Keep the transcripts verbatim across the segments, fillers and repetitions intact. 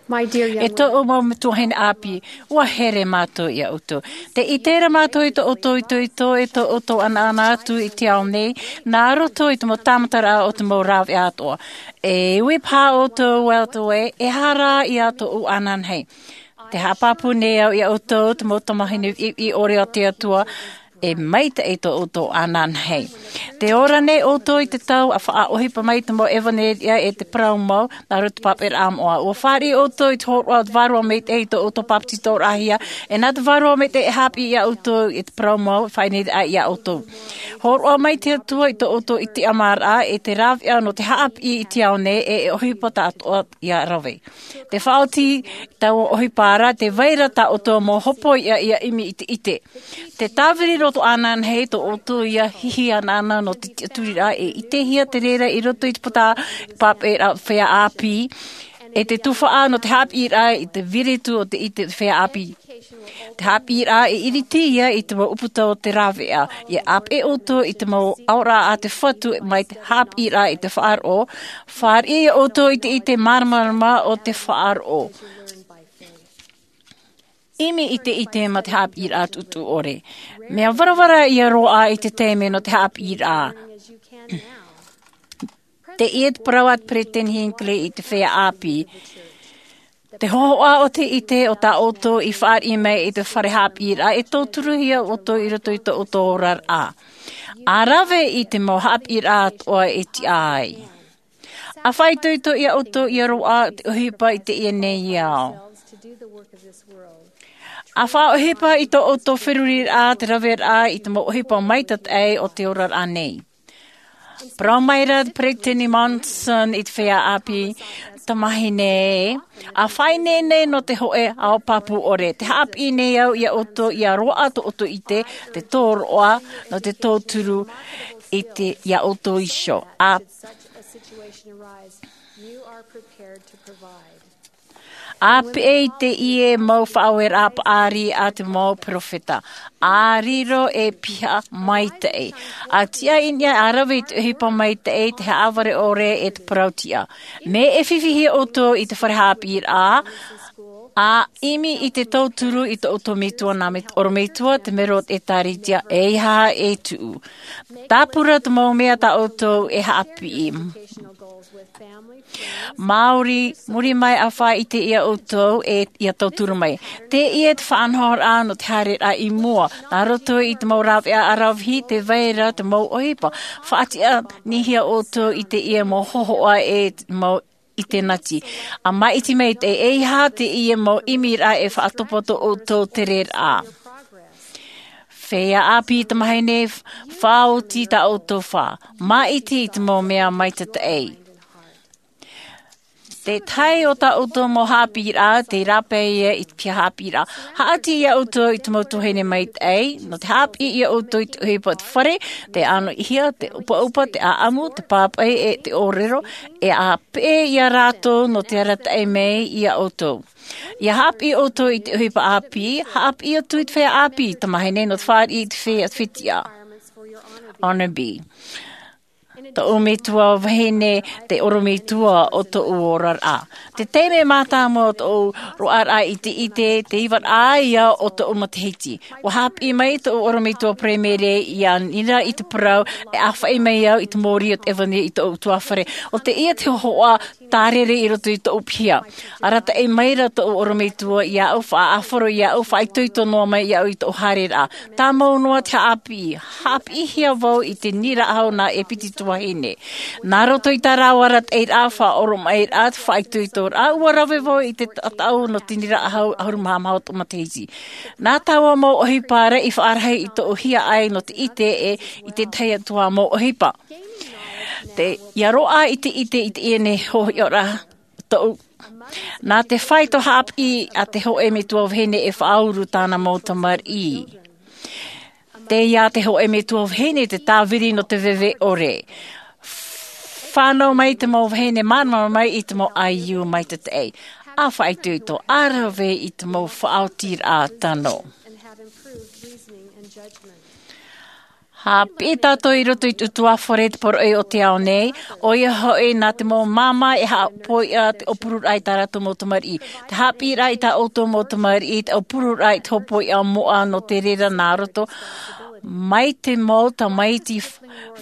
E tōʻu mau tuahine ʻāpī, ua here mātou iā ʻoutou. Tē ʻite ra mātou i tō ʻoutou itoito, e tō ʻoutou ʻanaʻana atu i te ao nei, nā roto i te mau tāmataraʻa o te mau rāveʻa atoʻa. E ui paha ʻoutou, Walter, e, e aha rā ia tōʻu ananahi? Tē haʻapāpū nei au iā ʻoutou, te mau tamahine ʻiʻi ʻore o te Atua, e maitaʻi tō ʻoutou ananahi. Tē ora nei ʻoutou i te tau ʻa faʻaʻohipa mai te mau ʻevanelia e te parau mau, nā roto i te pāpaʻiraʻa moʻa. Ua fāriʻi ʻoutou i te hōroʻa o te Vārua Maitaʻi i tō ʻoutou bāpetizoraʻahia, e nā te Vārua Maitaʻi e haʻapiʻi iā ʻoutou i te parau mau, faʻaineine iā ʻoutou. Hōroʻa mai te Atua i tō ʻoutou ʻitiʻamaraʻa, e te rāveʻa nō te haʻapiʻi i te ao nei, e, e ʻohipa tāʻatoʻa ia rave. Te faʻaoti i taua ʻohipa ra, tē vai ra tā ʻoutou mau hopoiʻa ia ʻimi i te ʻite. Tē tāviri roa tō ananahi tō ʻoutou ia hihi anaʻana nō te tiʻaturiraʻa, e ʻitehia te reira i roto i te puta pāpaʻiraʻa feiā ʻāpī, e te tufaʻa nō te haʻapiʻiraʻa i te viritu o te ʻite feiā ʻāpī. Te haʻapiʻiraʻa e ʻiriti ia i te mau ʻūputa o te rāveʻa, ia ʻāpeʻe ʻoutou i te mau aʻoraʻa a te Fatu mai te haʻapiʻiraʻa i te faʻaroʻo, fāriʻi ia ʻoutou i te ʻite māramarama o te faʻaroʻo. ʻImi i te ʻite mā te haʻapiʻiraʻa tuʻutuʻu ʻore. Mea varavara ia roaʻa i te taime nō te haʻapiʻiraʻa. Teie te parau a te Peresideni Hinckley i te feiā ʻāpī. Te hōhoʻa o te ʻite o tā ʻoutou i fāriʻi mai i te fare haʻapiʻiraʻa e tauturuhia ʻoutou i roto i tō ʻoutou oraraʻa. ʻA rave i te mau haʻapiʻiraʻa atoʻa e tiʻa ai. ʻA faʻaitoito iā ʻoutou ia roaʻa te ʻohipa i teie nei ao. ʻA faʻaʻohipa i tō ʻoutou feruriraʻa, te raveraʻa i te mau ʻohipa maitaʻi o te oraraʻa nei. Parau mai ra te Peresideni Monson i te feiā ʻāpī, tamahine, ʻa faʻaineine nō te hōʻē ao pāpū ʻore, tē haʻapiʻi nei au iā ʻoutou ia roaʻa tō ʻoutou ʻite, te tōroʻa, nō te tauturu i te, iā ʻoutou iho. ʻA ʻa peʻe i teie mau faʻaueraʻa paʻari a te mau perofeta, ʻa riro e piha maitaʻi. ʻA tiʻa i niʻa ʻa rave i te ʻohipa maitaʻi, te haʻavare ʻore e te parau tiʻa. Mea e fifi hia ʻoutou i te fare haʻapiʻiraʻa, ʻa ʻimi i te tauturu i tō ʻoutou metua nā me ʻorometua te mero o te ʻĒtārētia, ʻeiaha e tuʻu. Tāpura te mau mea tā ʻoutou e haʻapiʻi. Māori, muri mai ʻa faʻaʻite iā ʻoutou e ia tauturu mai. Teie te faʻanahoraʻa nō te haereraʻa i mua, nā roto i te mau rāveʻa ʻaravihi, tē vai ra te mau ʻohipa. Faʻatiʻa nei hia ʻoutou i teie mau hōhoʻa e te mau ʻite nati. ʻA māʻiti mai te, ʻeiaha teie mau ʻimiraʻa e faʻatopa tō ʻoutou tereraʻa. Feiā ʻāpī tamahine, faʻaoti tā ʻoutou fā. Māʻiti i te mau mea maitaʻi. Te tahi o tā ʻoutou mau haʻapiʻiraʻa, tei rāpae ia i te piha haʻapiʻiraʻa. Haʻati iā ʻoutou i te mau tuahine maitaʻi, nō te haʻapiʻi iā ʻoutou i te ʻohipa o te fare, te ʻanoʻihia, te ʻupaʻupa, te ʻāʻamu, te pāpaʻi, e te ʻōrero, e ʻa peʻe iā rātou nō te arataʻi mai iā ʻoutou. Ia haʻapiʻi ʻoutou i te ʻohipa ʻāpī, haʻapiʻi atu i te feiā ʻāpī, tamahine, nō te fāriʻi i te feiā fetiʻa. Honor B. Tōʻu metua vahine, te ʻorometua o tōʻu oraraʻa. Te taime mātāmua o tōʻu roaʻaraʻa i te ʻite, te ivaraʻa ia o tōʻu matahiti. ʻUa haʻapiʻi mai tōʻu ʻorometua paraimere ia nira i te parau, e ʻāfaʻi mai au i te mōrī o te ʻevanelia i tōʻu ʻutuāfare. ʻO teie te hōhoʻa tārere i roto i tōʻu piha. Arataʻi mai ra tōʻu ʻorometua iāʻu, faʻaʻāfaro iāʻu, faʻaitoito noa mai iāʻu i tōʻu haereraʻa. Tāmau noa te haʻapiʻi. Haʻapiʻihia vau i te nīnaʻa hau nā ʻEpeti tuahine. Nā roto i tā rāua arataʻiraʻa, faʻaoromaʻiraʻa, faʻaitoitoraʻa, ʻua rave vau i te taʻataʻu nō te nīnaʻa hau ʻahuru mā maha o tōʻu matahiti. Nā taua mau ʻohipa ra i faʻarahi i tōʻu hiaʻai nō te ʻite e i te tahi atu ā mau ʻohipa. Te, ia roaʻa i te ʻite i teie nei hoʻi ora tōʻu. Nā te fāito haʻapiʻi a te hōʻē metua vahine e faʻauru tāna mau tamariʻi. Teie te hōʻē metua vahine te tāviri nō te veve ʻore. Fānau mai te mau vahine māramarama mai i te mau ʻaiū maitaʻi. ʻA faʻaitoito, ʻa rave i te mau faʻaotiraʻa tano. Haʻapiʻi tātou i roto i te ʻutuāfare te poroʻi o te ao nei, ʻoia hoʻi nā te mau māmā e haʻapoiʻa te ʻōpururaʻa i tā rātou mau tamariʻi. Te haʻapiʻiraʻa i tā ʻoutou mau tamariʻi, te ʻōpururaʻa i te hōpoiʻa moʻa nō te reira nā roto, mai te mau tamaiti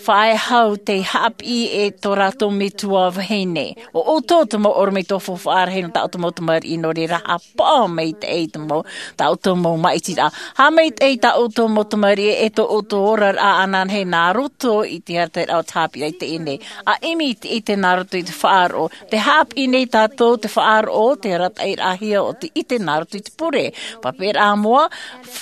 faʻehau tei haʻapiʻi e tō rātou metua vahine. ʻO ʻoutou te mau ʻorometua faufaʻa rahi nō tā ʻoutou mau tamariʻi, nō reira haʻapaʻo maitaʻi i te mau, tā ʻoutou mau māʻitiraʻa. Haʻamaitaʻi i tā ʻoutou mau tamariʻi e tō ʻoutou oraraʻa ananahi nā roto i te arataʻiraʻa o te haʻapiʻiraʻa i teie nei. ʻA ʻimi i te ʻite nā roto i te faʻaroʻo. Te haʻapiʻi nei tātou te faʻaroʻo, te arataʻiraʻahia o te ʻite nā roto i te pure. Papaʻiraʻa moʻa,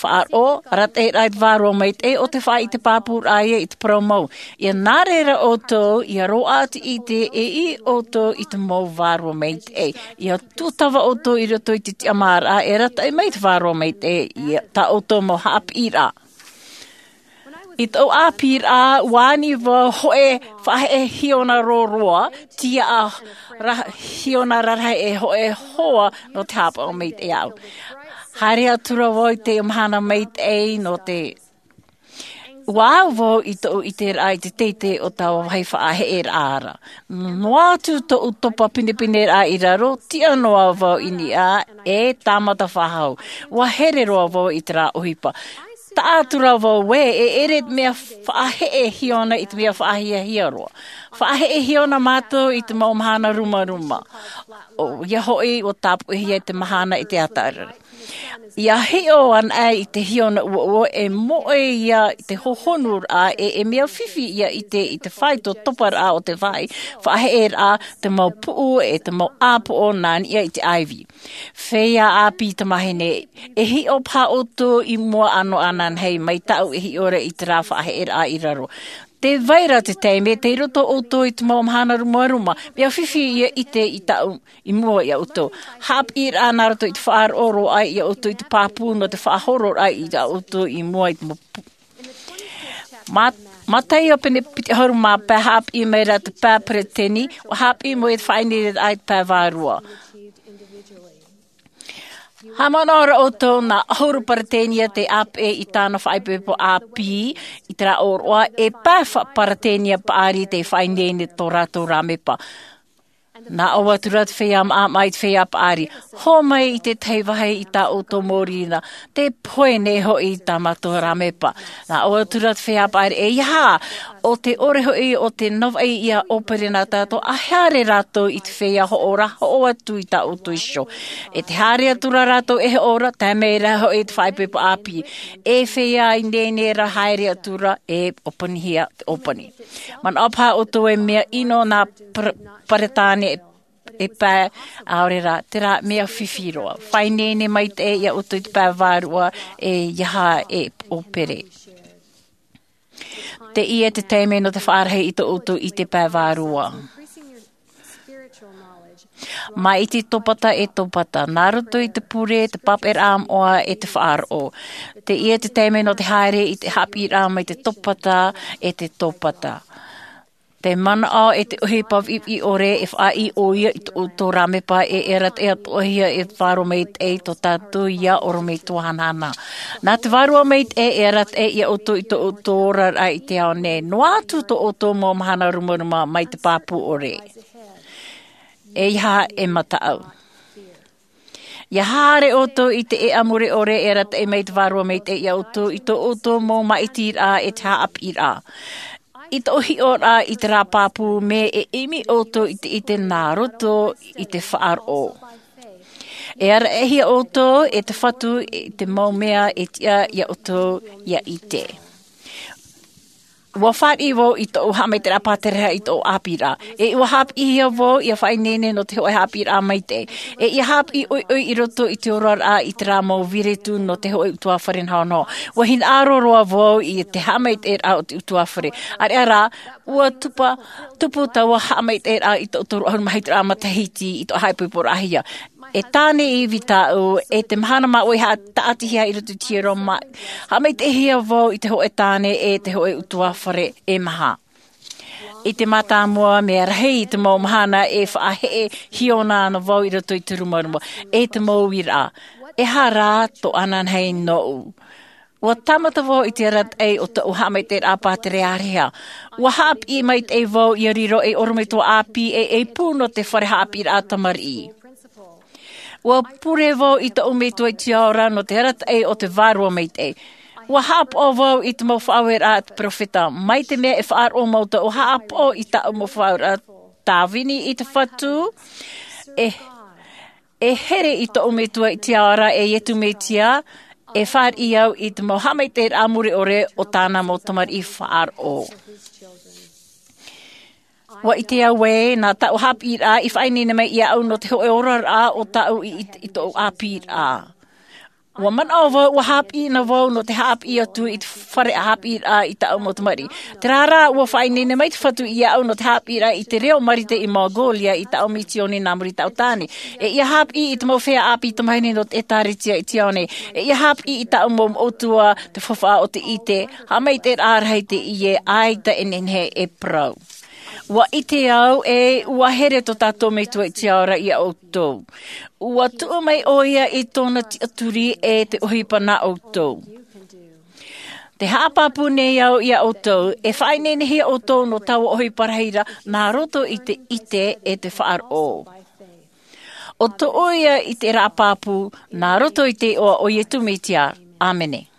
faʻaroʻo, arataʻiraʻa i te vārua maitaʻi, ʻo te faʻaʻite pāpūraʻa ia i te parau mau. ʻIa nā reira ʻoutou, ʻia roaʻa te ʻite, e ʻī ʻoutou i te mau vārua maitaʻi. ʻIa tūtava ʻoutou i roto i te tiʻamāraʻa e arataʻi mai te vārua maitaʻi, i tā ʻoutou mau haʻapiʻiraʻa. I tōʻu ʻāpīraʻa, ʻua ani vau hōʻē faʻaheʻe hiona roroa, tiaʻa ra-, hiona rarahi e hōʻē hoa nō te haʻapaʻo maitaʻi iāʻu. Haere atu ra vau i te mahana maitaʻi nō te, ʻua au vau i tōʻu ʻiteraʻa i te teitei o taua vāhi faʻaheʻeraʻa ra. Noa atu tōʻu topa pinepineraʻa i raro, tiʻa noa vau i niʻa e tāmata faʻahou. ʻUa here roa vau i terā ʻohipa. Taʻa atu ra vau ē, e ʻere mea faʻaheʻe hiona i te mea faʻahiahia roa. Faʻaheʻe hiona mātou i te mau mahana rumaruma. ʻOia hoʻi, ʻua tāpoʻihia te mahana i te ʻātaʻuraʻa. ʻIa hiʻo anaʻe i te hiona ʻuoʻuo, e moʻe ia i te hohonuraʻa, e, e mea fifi ʻia ʻite i te faito toparaʻa o te vāhi faʻaheʻeraʻa, te mau puʻu, e te mau ʻāpoʻo nā niʻa i te ʻaivi. Feiā ʻāpī tamāhine, e hiʻo paha ʻoutou i mua ʻānoʻa ananahi mai tāʻu e hiʻo ra i terā faʻaheʻeraʻa i raro. Tē vai ra te taime, tei roto ʻoutou i te mau mahana rumaruma, mea fifi ʻia ʻite i tāʻu, i mua iā ʻoutou. Haʻapiʻiraʻa nā roto i te faʻaroʻo roaʻa iā ʻoutou i te pāpū nō te faʻahororaʻa iā ʻoutou i mua i te mau pu-, mā-, mātaʻi o pene piti ʻahuru mā pae haʻapiʻi mai ra te pae peretiteni, ʻua haʻapiʻi mai te faʻaineineraʻa i te pae vārua. Haʻamanaʻo ra ʻoutou nā ʻahuru peretiteni te ʻāpeʻe i tāna faʻaipoipo ʻāpī, i terā ʻōroʻa, e pae fa-, peretiteni paʻari te faʻaineine tō rātou rāmepa. Nā ʻō atu ra te feiā maʻamaʻa i te feiā paʻari, hō mai i te tahi vāhi i tā ʻoutou mau riʻi nā, tē pohe nei hoʻi tā mātou rāmepa. Nā ʻō atu ra te feiā paʻari, e ia hā, ʻo te ʻore hoʻi o te navaʻi ʻia ʻōpere nā tātou, ʻa haere rātou i te feiā hoʻo ra, hoʻo atu i tā ʻoutou iho. E tē haere atu ra rātou e hoʻo ra, tae mai ra hoʻi te faʻaipoipo ʻāpī. E feiā ineine ra haere atu ra, e ʻōpanihia te ʻōpani. Manaʻo paha ʻoutou e mea ʻino nā Par-, Peretāne e pae, ʻaore rā, terā mea fifi roa. Faʻaineine maitaʻi iā ʻoutou i te pae vārua, e ia hā e ʻōpere. Teie te taime nō te faʻarahi i tō ʻoutou ʻite pae vārua. Maʻiti topata e topata, nā roto i te pure, te papaʻiraʻa moʻa e te faʻaroʻo. Teie te taime nō te haere i te haʻapiʻiraʻa mai te topata e te topata. Te manaʻo e te ʻohipa viʻiviʻi ʻore e faʻaʻī ʻoia i tō ʻoutou rāmepa e, e arataʻi atoʻahia e te vārua maitaʻi tō tātou ia ʻorometua hanahana. Nā te vārua maitaʻi e arataʻi iā ʻoutou i tō ʻoutou oraraʻa i te ao nei. Noa atu tō ʻoutou mau mahana rumaruma mai te pāpū ʻore. E ia hā e mataʻu. ʻIa haere ʻoutou i te ʻēʻa mure ʻore e arataʻi mai te vārua maitaʻi iā ʻoutou i tō ʻoutou mau maʻitiraʻa e te haʻapiʻiraʻa. I tōʻu hiʻoraʻa i terā pāpū mea e ʻimi ʻoutou i te ʻite nā roto i te faʻaroʻo. E arataʻihia ʻoutou e te Fatu i te mau mea e tiʻa iā ʻoutou ʻia ʻite. ʻUa fāriʻi vau i tōʻu haʻamaitaʻiraʻa pātereraʻa i tōʻu ʻāpīraʻa. E ʻua haʻapiʻihia vau ʻia faʻaineine nō te hōʻē haʻapiʻiraʻa maitaʻi. E ʻia haʻapiʻi ʻoiʻoi i roto i te oraraʻa i terā mau viretu nō te hōʻē ʻutuāfare nahonaho. ʻUa hinaʻaro roa vau i te haʻamaitaʻiraʻa o te ʻutuāfare. ʻĀreʻa rā, ʻua tupa, tupu taua haʻamaitaʻiraʻa i tōʻu toru ʻahuru mā hitu ra matahiti i tōʻu haʻaipoiporaʻahia. E tāne ivi tāʻu, e te mahana māʻohi haʻa-, taʻatihia i roto i te hiero mā-, haʻamaitaʻihia vau i te hōʻē tāne e te hōʻē ʻutuāfare e maha. I te mātāmua, mea rahi i te mau mahana e faʻaheʻe hiona ana vau i roto i te rumaruma, e te mau uiraʻa. E aha rā tō ananahi nōʻu? Ua tāmata vau i te arataʻi o tōʻu haʻamaitaʻiraʻa pātereareha. Ua haʻapiʻi maitaʻi vau ia riro ei ʻorometua ʻāpī e ei pū nō te fare haʻapiʻiraʻa tamariʻi. Ua pure vau i tōʻu metua i te ao ra nō te arataʻi o te vārua maitaʻi. Ua haʻapaʻo vau i te mau faʻaueraʻa a te peropheta mai te mea e faʻaroʻo mau tōʻu haʻapaʻo i tāʻu mau faʻaueraʻa tāvini i te fatu. E e here i tōʻu metua i te ao ra e iesu mesia. E fāriʻi au i te mau haʻamaitaʻiraʻa mure ʻore o tāna mau tamariʻi faʻaroʻo. Ua ʻite au ē nā tāʻu haʻapiʻiraʻa i faʻaineine mai iāʻu nō te hoʻe oraraʻa o tāʻu i i tōʻu ʻāpīraʻa. Ua manaʻo vau ua haʻapiʻi na vau nō te haʻapiʻi atu i te fare haʻapiʻiraʻa i tāʻu mau tamariʻi. Terā rā ua faʻaineine mai te fatu iāʻu nō te haʻapiʻiraʻa i te reo marite i mongolia i tāʻu misioni nā muri i tāʻu tāne. E ia haʻapiʻi i te mau feiā ʻāpī tamahine nō te ʻēkālesia i te ao nei. E ia haʻapiʻi i tāʻu mau moʻotua te faufaʻa o te ʻite. Haʻamaitaʻiraʻa rahi teie ʻaita e nehenehe e parau. Ua ʻite au e ua here tō tātou metua i te ao ra iā ʻoutou. Ua tuʻu mai ʻoia i tōna tiʻaturi e te ʻohipa nā ʻoutou. Te haʻapāpū nei au iā ʻoutou e faʻaineinehia ʻoutou nō taua ʻohipa rahi ra nā roto i te ʻite e te faʻaroʻo. ʻO tōʻu ia i te raʻa pāpū nā roto i te iʻoa o iesu mesia. ʻĀmene.